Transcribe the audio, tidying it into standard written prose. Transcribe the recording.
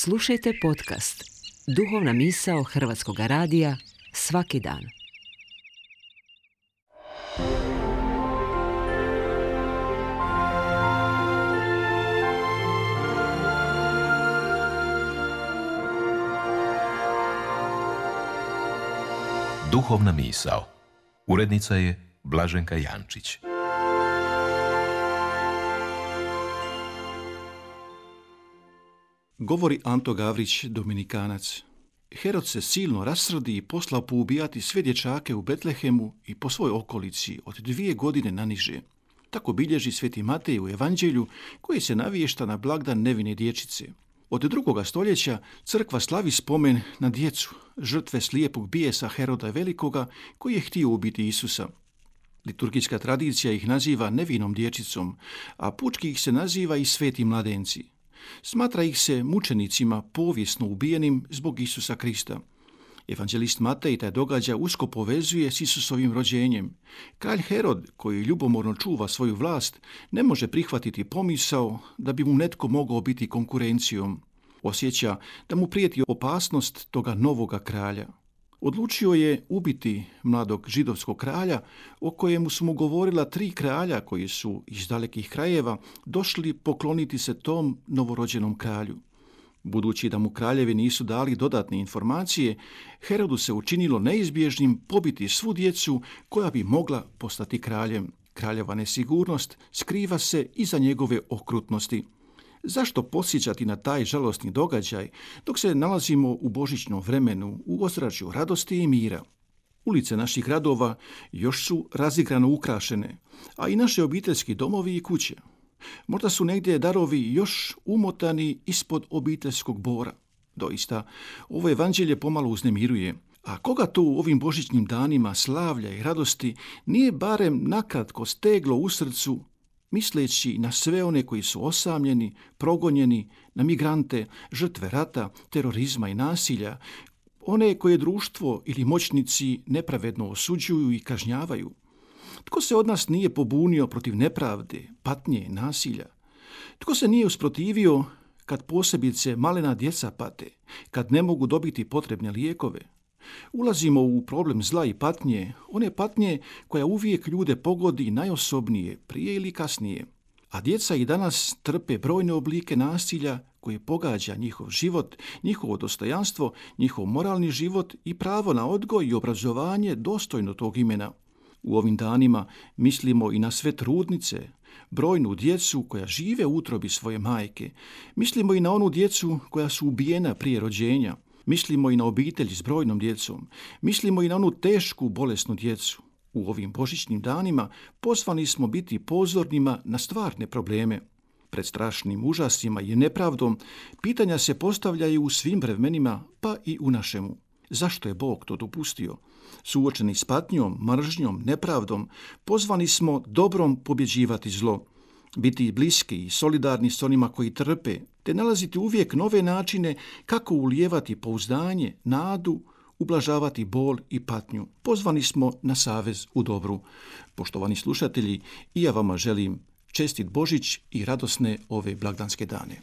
Slušajte podcast Duhovna misao Hrvatskog radija svaki dan. Duhovna misao. Urednica je Blaženka Jančić. Govori Anto Gavrić, Dominikanac. Herod se silno rasrdi i poslao poubijati sve dječake u Betlehemu i po svoj okolici od 2 godine naniže. Tako bilježi Sveti Matej u Evanđelju koji se naviješta na blagdan nevine dječice. Od 2. stoljeća crkva slavi spomen na djecu, žrtve slijepog bijesa Heroda Velikoga koji je htio ubiti Isusa. Liturgijska tradicija ih naziva nevinom dječicom, a pučki ih se naziva i sveti mladenci. Smatra ih se mučenicima povijesno ubijenim zbog Isusa Krista. Evanđelist Matej taj događaj usko povezuje s Isusovim rođenjem. Kralj Herod, koji ljubomorno čuva svoju vlast, ne može prihvatiti pomisao da bi mu netko mogao biti konkurencijom. Osjeća da mu prijeti opasnost toga novoga kralja. Odlučio je ubiti mladog židovskog kralja, o kojemu su mu govorila 3 kralja koji su iz dalekih krajeva došli pokloniti se tom novorođenom kralju. Budući da mu kraljevi nisu dali dodatne informacije, Herodu se učinilo neizbježnim pobiti svu djecu koja bi mogla postati kraljem. Kraljeva nesigurnost skriva se iza njegove okrutnosti. Zašto podsjećati na taj žalosni događaj dok se nalazimo u božićnom vremenu u ozračju radosti i mira? Ulice naših gradova još su razigrano ukrašene, a i naše obiteljski domovi i kuće. Možda su negdje darovi još umotani ispod obiteljskog bora. Doista, ovo evanđelje pomalo uznemiruje. A koga to u ovim božićnim danima slavlja i radosti nije barem nakratko steglo u srcu, misleći na sve one koji su osamljeni, progonjeni, na migrante, žrtve rata, terorizma i nasilja, one koje društvo ili moćnici nepravedno osuđuju i kažnjavaju? Tko se od nas nije pobunio protiv nepravde, patnje, nasilja? Tko se nije usprotivio kad posebice malena djeca pate, kad ne mogu dobiti potrebne lijekove? Ulazimo u problem zla i patnje, one patnje koja uvijek ljude pogodi najosobnije, prije ili kasnije. A djeca i danas trpe brojne oblike nasilja koje pogađa njihov život, njihovo dostojanstvo, njihov moralni život i pravo na odgoj i obrazovanje dostojno tog imena. U ovim danima mislimo i na sve trudnice, brojnu djecu koja žive u utrobi svoje majke. Mislimo i na onu djecu koja su ubijena prije rođenja. Mislimo i na obitelji s brojnom djecom. Mislimo i na onu tešku, bolesnu djecu. U ovim božićnim danima pozvani smo biti pozornima na stvarne probleme. Pred strašnim užasima i nepravdom pitanja se postavljaju u svim vremenima, pa i u našemu. Zašto je Bog to dopustio? Suočeni s patnjom, mržnjom, nepravdom, pozvani smo dobrom pobjeđivati zlo. Biti bliski i solidarni s onima koji trpe, te nalaziti uvijek nove načine kako ulijevati pouzdanje, nadu, ublažavati bol i patnju. Pozvani smo na savez u dobru. Poštovani slušatelji, i ja vama želim čestit Božić i radosne ove blagdanske dane.